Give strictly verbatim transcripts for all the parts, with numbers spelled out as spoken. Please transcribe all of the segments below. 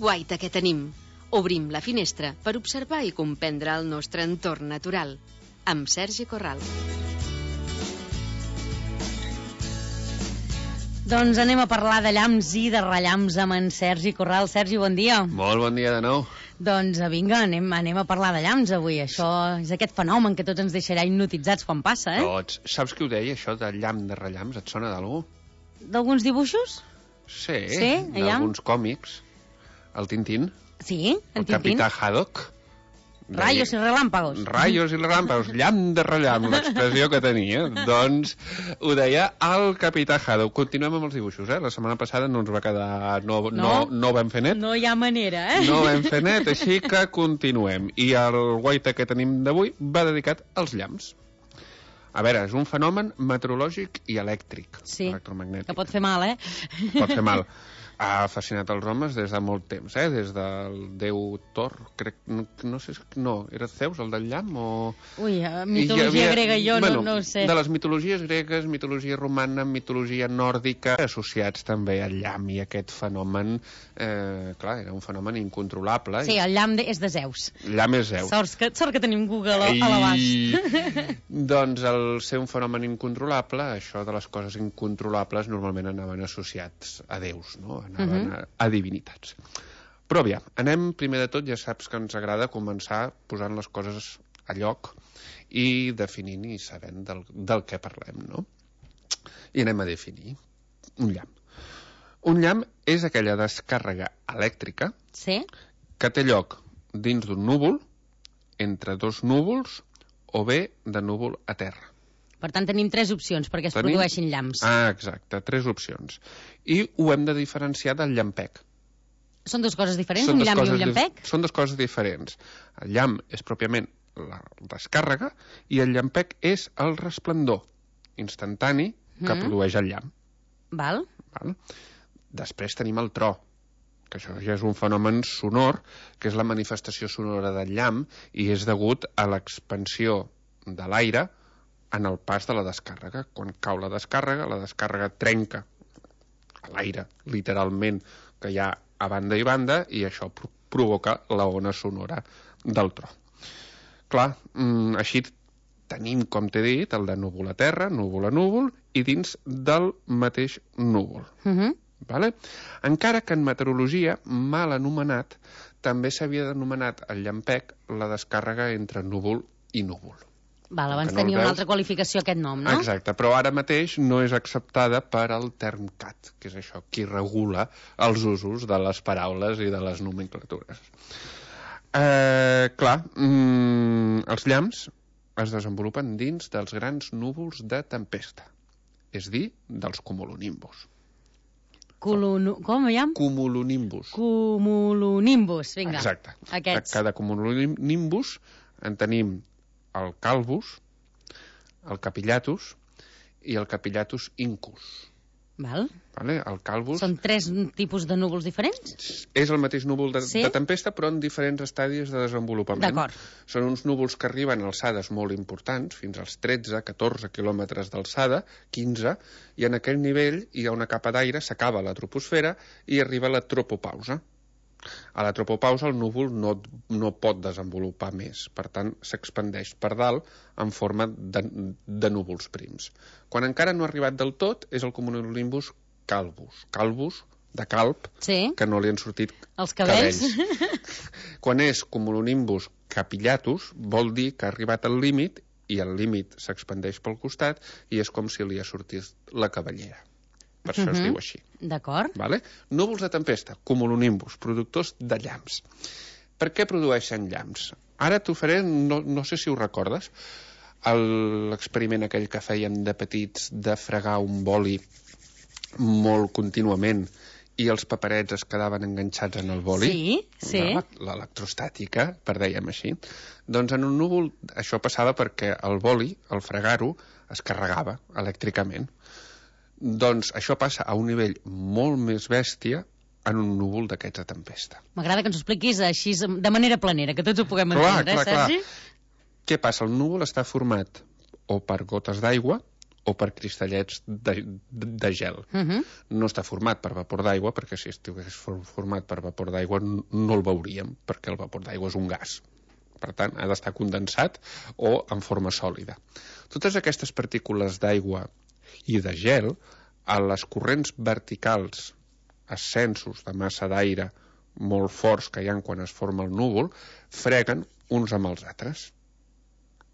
guaita que tenim. Obrim la finestra per observar i comprendre el nostre entorn natural. Amb Sergi Corral. Doncs anem a parlar de llamps i de rellamps amb en Sergi Corral. Sergi, bon dia. Molt bon dia de nou. Doncs vinga, anem, anem a parlar de llamps avui. Això és aquest fenomen que tots ens deixarà hipnotitzats quan passa, eh? Tots. Saps qui ho deia, això de llamp de rellamps? Et sona d'algú? D'alguns dibuixos? Sí, sí d'alguns còmics. El Tintín. Sí, el, el Tintín. El Capità Haddock. Rayos i relàmpagos. Rayos i relàmpagos, llamp de rellamp, l'expressió que tenia. Doncs ho deia el Capità Haddock. Continuem amb els dibuixos, eh? La setmana passada no ens va quedar... No, no, no, no vam fer net. No hi ha manera, eh? No vam fer net, així que continuem. I el guaita que tenim d'avui va dedicat als llamps. A veure, és un fenomen meteorològic i elèctric. Sí, electromagnètic. Que pot fer mal, eh? Pot fer mal. Ha fascinat els homes des de molt temps, eh? Des del déu Thor, crec, no, no sé, no, era Zeus, el del llamp, o... Ui, mitologia havia, grega jo bueno, no, no ho sé. De les mitologies gregues, mitologia romana, mitologia nòrdica, associats també al llamp i aquest fenomen, eh, clar, era un fenomen incontrolable. Sí, el llamp és de Zeus. El llamp és Zeus. Sort que, sort que tenim Google I... a l'abast. Doncs al ser un fenomen incontrolable, això de les coses incontrolables normalment anaven associats a déus, no? Anaven uh-huh. a, a divinitats. Però aviam, anem primer de tot, ja saps que ens agrada començar posant les coses a lloc i definint i sabent del, del què parlem, no? I anem a definir un llamp. Un llamp és aquella descàrrega elèctrica sí? que té lloc dins d'un núvol, entre dos núvols o bé de núvol a terra. Per tant, tenim tres opcions perquè es tenim... produeixin llamps. Ah, exacte, tres opcions. I ho hem de diferenciar del llampec. Són dues coses diferents, un llamp i un llampec? Són dues coses diferents. El llamp és pròpiament la descàrrega i el llampec és el resplendor instantani que mm. produeix el llamp. Val. Val. Després tenim el tro, que això ja és un fenomen sonor, que és la manifestació sonora del llamp i és degut a l'expansió de l'aire en el pas de la descàrrega. Quan cau la descàrrega, la descàrrega trenca l'aire, literalment, que hi ha a banda i banda, i això provoca la ona sonora del tro. Clar, mm, així tenim, com t'he dit, el de núvol a terra, núvol a núvol, i dins del mateix núvol. Uh-huh. Vale? Encara que en meteorologia, mal anomenat, també s'havia denomenat el llampec la descàrrega entre núvol i núvol. Val, abans no tenia una altra qualificació aquest nom, no? Exacte, però ara mateix no és acceptada per al TERMCAT, que és això, qui regula els usos de les paraules i de les nomenclatures. Eh, clar, mm, els llamps es desenvolupen dins dels grans núvols de tempesta, és dir, dels cumulonimbus. Culunu... Com hi ha? Cumulonimbus. Cumulonimbus, vinga. Exacte. Aquests. Cada cumulonimbus en tenim el calvus, el capillatus i el capillatus incus. Val. Vale? El calvus... Són tres tipus de núvols diferents? És el mateix núvol de, sí? de tempesta, però en diferents estadis de desenvolupament. D'acord. Són uns núvols que arriben a alçades molt importants, fins als tretze a catorze quilòmetres d'alçada, quinze, i en aquell nivell hi ha una capa d'aire, s'acaba la troposfera i arriba la tropopausa. A la tropopausa el núvol no, no pot desenvolupar més, per tant s'expandeix per dalt en forma de, de núvols prims. Quan encara no ha arribat del tot és el cumulonimbus calvus, calvus de calp, sí. que no li han sortit els cabells. cabells. Quan és cumulonimbus capillatus vol dir que ha arribat al límit i el límit s'expandeix pel costat i és com si li ha sortit la cabellera. Per això uh-huh. es diu així. D'acord. Vale? Núvols de tempesta, cumulonimbus, productors de llamps. Per què produeixen llamps? Ara t'ho faré, no, no sé si ho recordes, l'experiment aquell que feien de petits de fregar un boli molt contínuament i els paperets es quedaven enganxats en el boli. Sí, sí. L'electrostàtica, per dèiem així. Doncs en un núvol això passava perquè el boli, al fregar-ho, es carregava elèctricament. Doncs això passa a un nivell molt més bèstia en un núvol d'aquests de tempesta. M'agrada que ens ho expliquis així de manera planera, que tots ho puguem entendre, clar, clar, eh, Sergi? Clar. Què passa? El núvol està format o per gotes d'aigua o per cristallets de, de, de gel. Uh -huh. No està format per vapor d'aigua, perquè si estigués format per vapor d'aigua no el veuríem, perquè el vapor d'aigua és un gas. Per tant, ha d'estar condensat o en forma sòlida. Totes aquestes partícules d'aigua i de gel, a les corrents verticals, ascensos de massa d'aire molt forts que hi ha quan es forma el núvol, freguen uns amb els altres.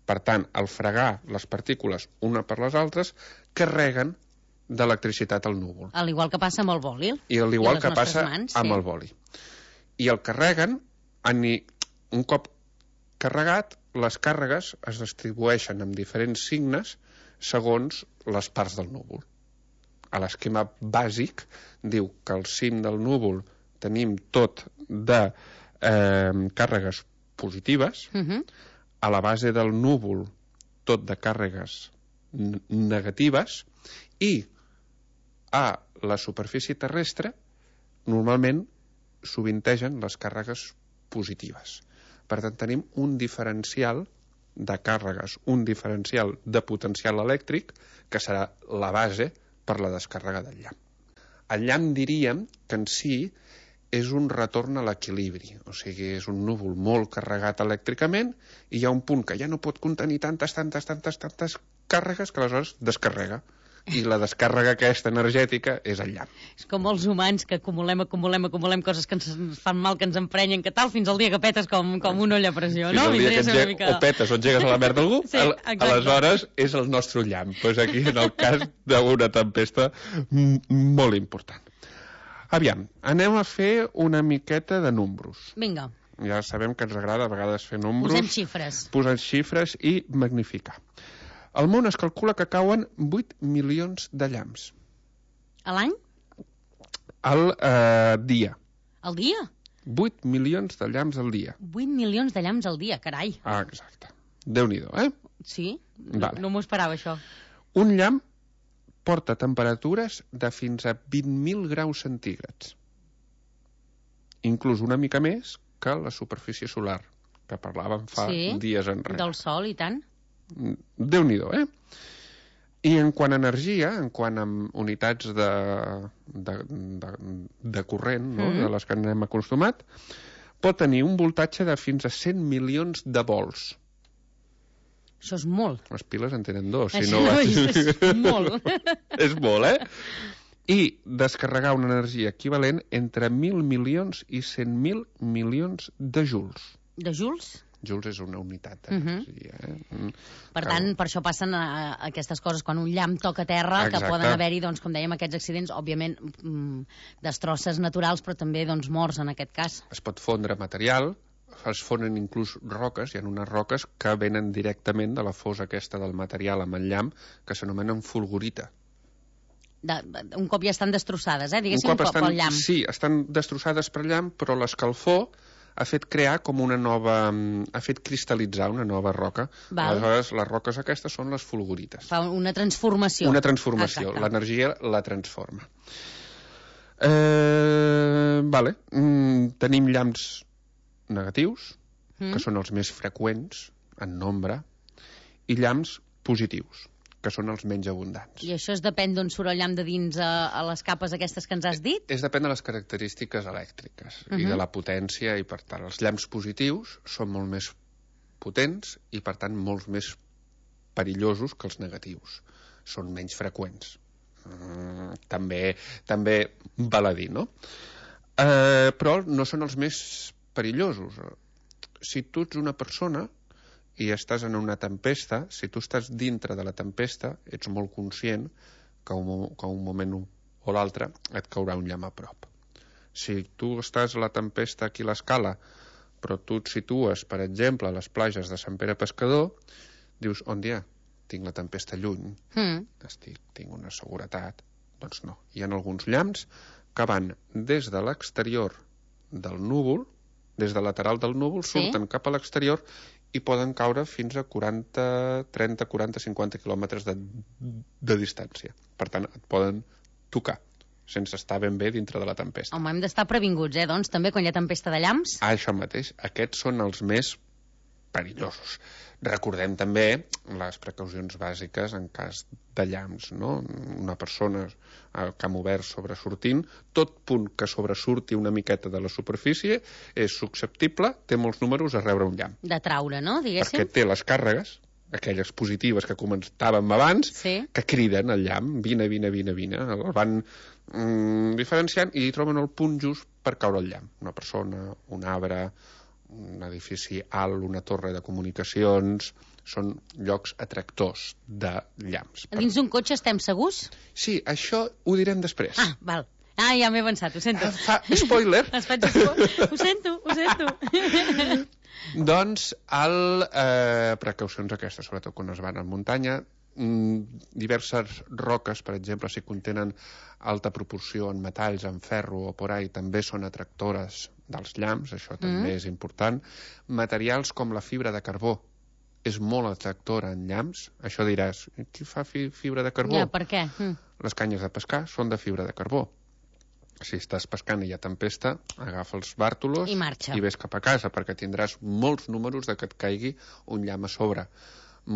Per tant, al fregar les partícules una per les altres, carreguen d'electricitat al núvol. Al igual que passa amb el boli. I al igual que passa mans, amb sí. el boli. I el carreguen, un cop carregat, les càrregues es distribueixen amb diferents signes segons les parts del núvol. A l'esquema bàsic diu que al cim del núvol tenim tot de eh, càrregues positives, Uh -huh. a la base del núvol tot de càrregues negatives i a la superfície terrestre normalment sovintegen les càrregues positives. Per tant, tenim un diferencial de càrregues, un diferencial de potencial elèctric que serà la base per la descàrrega del llamp. El llamp diríem que en si és un retorn a l'equilibri, o sigui, és un núvol molt carregat elèctricament i hi ha un punt que ja no pot contenir tantes, tantes, tantes, tantes càrregues que aleshores descarrega. I la descàrrega aquesta energètica és el llamp. És com els humans que acumulem, acumulem, acumulem coses que ens fan mal, que ens emprenyen, que tal, fins al dia que petes com, com una olla a pressió, no? Fins al dia que engeg... mica... o petes o engegues a la merda d'algú, sí, aleshores és el nostre llamp. Pues aquí, en el cas d'una tempesta molt important. Aviam, anem a fer una miqueta de números. Vinga. Ja sabem que ens agrada a vegades fer números. Posem xifres. Posar xifres i magnificar. Al món es calcula que cauen vuit milions de llamps. A l'any? Al eh, dia. Al dia? vuit milions de llamps al dia. vuit milions de llamps al dia, carai. Ah, exacte. Déu-n'hi-do, eh? Sí? Vale. No, no m'ho esperava, això. Un llamp porta temperatures de fins a vint mil graus centígrads. Inclús una mica més que la superfície solar, que parlàvem fa sí, dies enrere. Del sol, i tant. Déu-n'hi-do, eh? I en quant a energia, en quant a unitats de, de, de, de corrent, no? Mm. De les que anem acostumat, pot tenir un voltatge de fins a cent milions de volts. Això és molt. Les piles en tenen dos. Això si no, no és molt. És molt, eh? I descarregar una energia equivalent entre mil milions i cent mil milions de joules. De joules? Joules és una unitat d'energia. Uh -huh. eh? mm. Per tant, per això passen a, a aquestes coses quan un llamp toca terra. Exacte. Que poden haver-hi, doncs, com dèiem, aquests accidents, òbviament, mm, destrosses naturals, però també doncs, morts en aquest cas. Es pot fondre material, es fonen inclús roques, hi ha unes roques que venen directament de la fosa aquesta del material amb el llamp, que s'anomenen fulgurita. De, un cop ja estan destrossades, eh? Diguéssim, un cop estan, pel llamp. Sí, estan destrossades per llamp, però l'escalfor ha fet crear com una nova... ha fet cristal·litzar una nova roca. Val. Aleshores, les roques aquestes són les fulgurites. Fa una transformació. Una transformació. L'energia la transforma. Eh, vale. Mm, tenim llamps negatius, mm. que són els més freqüents en nombre, i llamps positius, que són els menys abundants. I això es depèn d'on surt el llamp de dins a, a les capes aquestes que ens has dit? És depèn de les característiques elèctriques uh -huh. i de la potència, i per tant els llamps positius són molt més potents i per tant molts més perillosos que els negatius. Són menys freqüents. Mm, també, també val a dir, no? Eh, però no són els més perillosos. Si tu ets una persona i estàs en una tempesta, si tu estàs dintre de la tempesta, ets molt conscient que un, que un moment o l'altre et caurà un llamp a prop. Si tu estàs a la tempesta aquí a l'Escala, però tu et situes, per exemple, a les platges de Sant Pere Pescador, dius, on dia? Tinc la tempesta lluny, mm. estic, tinc una seguretat. Doncs no. Hi ha alguns llamps que van des de l'exterior del núvol, des del lateral del núvol, sí? Surten cap a l'exterior i poden caure fins a quaranta, trenta, quaranta, cinquanta quilòmetres de, de distància. Per tant, et poden tocar sense estar ben bé dintre de la tempesta. Home, hem d'estar previnguts, eh, doncs, també, quan hi ha tempesta de llamps. Ah, això mateix. Aquests són els més perillosos. Recordem també les precaucions bàsiques en cas de llamps, no? Una persona al camp obert sobresortint, tot punt que sobresurti una miqueta de la superfície és susceptible, té molts números a rebre un llamp. De traure, no? Diguéssim. Perquè té les càrregues, aquelles positives que comentàvem abans, sí. que criden el llamp, vine, vine, vine, vine, el van mm, diferenciant i hi troben el punt just per caure el llamp. Una persona, un arbre, un edifici alt, una torre de comunicacions, són llocs atractors de llamps. A dins d'un cotxe estem segurs? Sí, això ho direm després. Ah, val. Ah, ja m'he pensat, ho sento. Ah, fa... Spoiler! Es faig spoiler. Ho sento, ho sento. Doncs, el, eh, precaucions aquestes, sobretot quan es van a muntanya, mm, diverses roques, per exemple, si contenen alta proporció en metalls, en ferro o por ahí, també són atractores dels llamps, això també mm. és important. Materials com la fibra de carbó és molt atractora en llamps. Això diràs, qui fa fi fibra de carbó? Ja, per què? Mm. Les canyes de pescar són de fibra de carbó. Si estàs pescant i hi ha tempesta, agafa els bàrtolos i, marxa. i ves cap a casa, perquè tindràs molts números de que et caigui un llamp a sobre.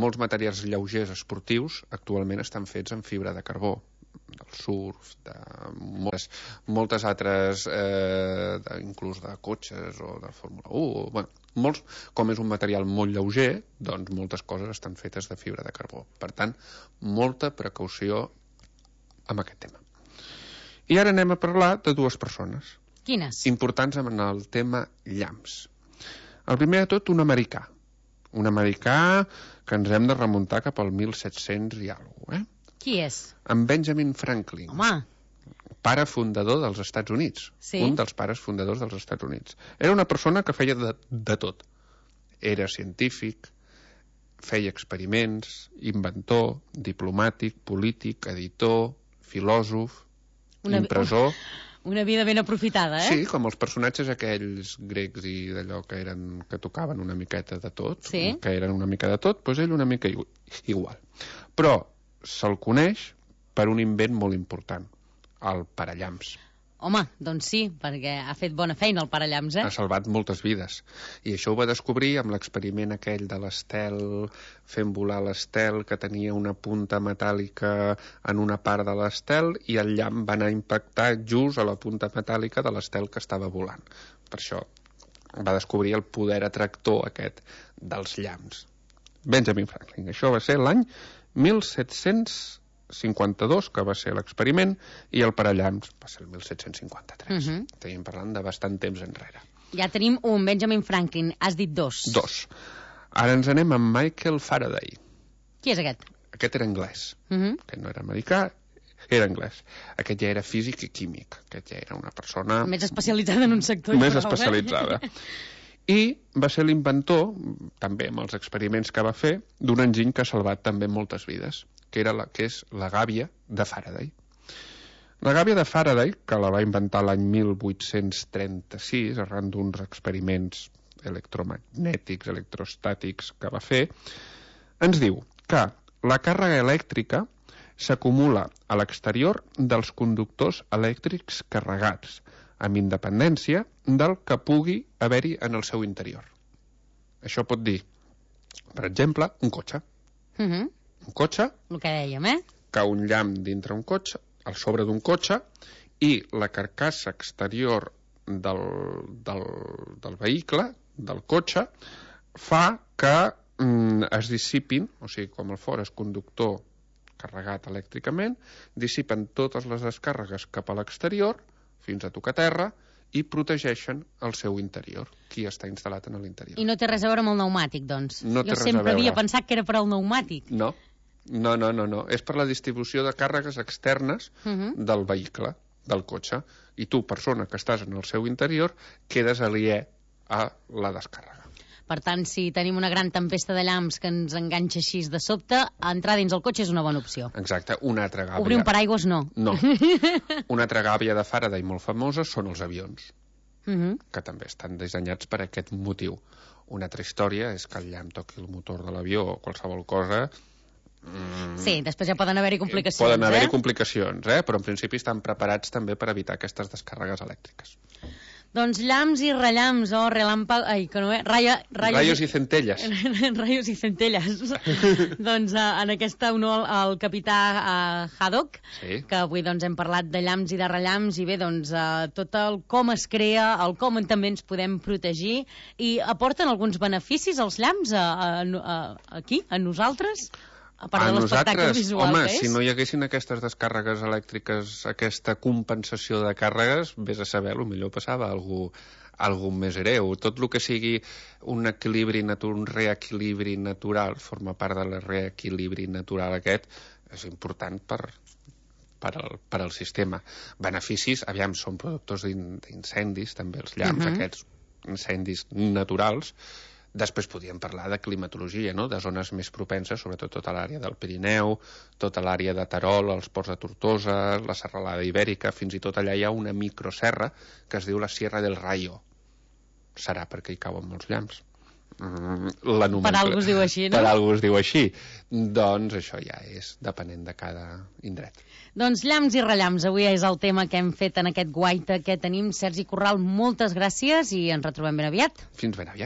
Molts materials lleugers esportius actualment estan fets en fibra de carbó, del surf, de moltes, moltes altres, eh, de, inclús de cotxes o de Fórmula u. Bueno, molts, com és un material molt lleuger, doncs moltes coses estan fetes de fibra de carbó. Per tant, molta precaució amb aquest tema. I ara anem a parlar de dues persones. Quines? Importants en el tema llamps. El primer de tot, un americà. Un americà que ens hem de remuntar cap al mil set-cents i alguna cosa, eh? Qui és? En Benjamin Franklin. Home! Pare fundador dels Estats Units. Sí? Un dels pares fundadors dels Estats Units. Era una persona que feia de, de tot. Era científic, feia experiments, inventor, diplomàtic, polític, editor, filòsof, una, impressor... Una vida ben aprofitada, eh? Sí, com els personatges aquells grecs i d'allò que eren que tocaven una miqueta de tot, sí? que eren una mica de tot, doncs ell una mica igual. Però se'l coneix per un invent molt important, el parallamps. Home, doncs sí, perquè ha fet bona feina el parallamps, eh? Ha salvat moltes vides. I això ho va descobrir amb l'experiment aquell de l'estel, fent volar l'estel, que tenia una punta metàl·lica en una part de l'estel, i el llamp va anar a impactar just a la punta metàl·lica de l'estel que estava volant. Per això va descobrir el poder atractor aquest dels llamps. Benjamin Franklin. Això va ser l'any mil set-cents cinquanta-dos, que va ser l'experiment, i el parallamps va ser el mil set-cents cinquanta-tres. Uh-huh. Estem parlant de bastant temps enrere. Ja tenim un Benjamin Franklin. Has dit dos. Dos. Ara ens anem amb Michael Faraday. Qui és aquest? Aquest era anglès. Uh-huh. Aquest no era americà, era anglès. Aquest ja era físic i químic. Aquest ja era una persona... Més especialitzada en un sector. Més prou, especialitzada. Eh? I va ser l'inventor, també amb els experiments que va fer, d'un enginy que ha salvat també moltes vides, que era la, que és la gàbia de Faraday. La gàbia de Faraday, que la va inventar l'any mil vuit-cents trenta-sis, arran d'uns experiments electromagnètics, electrostàtics que va fer, ens diu que la càrrega elèctrica s'acumula a l'exterior dels conductors elèctrics carregats, amb independència del que pugui haver-hi en el seu interior. Això pot dir, per exemple, un cotxe. Uh -huh. Un cotxe... El que dèiem, eh? Cau un llamp dintre un cotxe, al sobre d'un cotxe, i la carcassa exterior del, del, del vehicle, del cotxe, fa que mm, es dissipin, o sigui, com el fora és conductor carregat elèctricament, dissipen totes les descàrregues cap a l'exterior, fins a tocar terra, i protegeixen el seu interior, qui està instal·lat en l'interior. I no té res a veure amb el pneumàtic, doncs? No té jo res sempre a veure. havia pensat que era per al pneumàtic. No, no, no, no, no. És per la distribució de càrregues externes uh -huh. del vehicle, del cotxe, i tu, persona que estàs en el seu interior, quedes aliè a la descàrrega. Per tant, si tenim una gran tempesta de llamps que ens enganxa així de sobte, entrar dins el cotxe és una bona opció. Exacte, una altra gàbia... Obrir un paraigües, no. No. Una altra gàbia de Faraday molt famosa són els avions, uh -huh. que també estan dissenyats per aquest motiu. Una altra història és que el llamp toqui el motor de l'avió o qualsevol cosa... Mm, sí, després ja poden haver-hi complicacions, poden haver-hi eh? complicacions, eh? Però en principi estan preparats també per evitar aquestes descàrregues elèctriques. Doncs llamps i rellamps, o oh, relàmpag... Ai, que no és... Raya, rayos, rayos i centelles. Rayos i centelles. Doncs uh, en aquesta honor al capità uh, Haddock, sí. que avui doncs, hem parlat de llamps i de rellamps, i bé, doncs, uh, tot el com es crea, el com també ens podem protegir, i aporten alguns beneficis els llamps a, a, a, aquí, a nosaltres? A part a de l'espectacle visual home, que és? Si no hi haguessin aquestes descàrregues elèctriques, aquesta compensació de càrregues, vés a saber, potser passava algú, algú més greu. Tot el que sigui un equilibri natural, un reequilibri natural, forma part del reequilibri natural aquest, és important per, per, al, per al sistema. Beneficis, aviam, són productors d'incendis, també els llamps, uh-huh. aquests incendis naturals. Després podíem parlar de climatologia, no? De zones més propenses, sobretot tota l'àrea del Pirineu, tota l'àrea de Terol, els ports de Tortosa, la serralada ibèrica, fins i tot allà hi ha una microserra que es diu la Sierra del Rayo. Serà perquè hi cauen molts llamps. Mm, per algú es diu així, no? Per algú es diu així. Doncs això ja és depenent de cada indret. Doncs llamps i rellamps, avui és el tema que hem fet en aquest guaita que tenim. Sergi Corral, moltes gràcies i ens retrobem ben aviat. Fins ben aviat.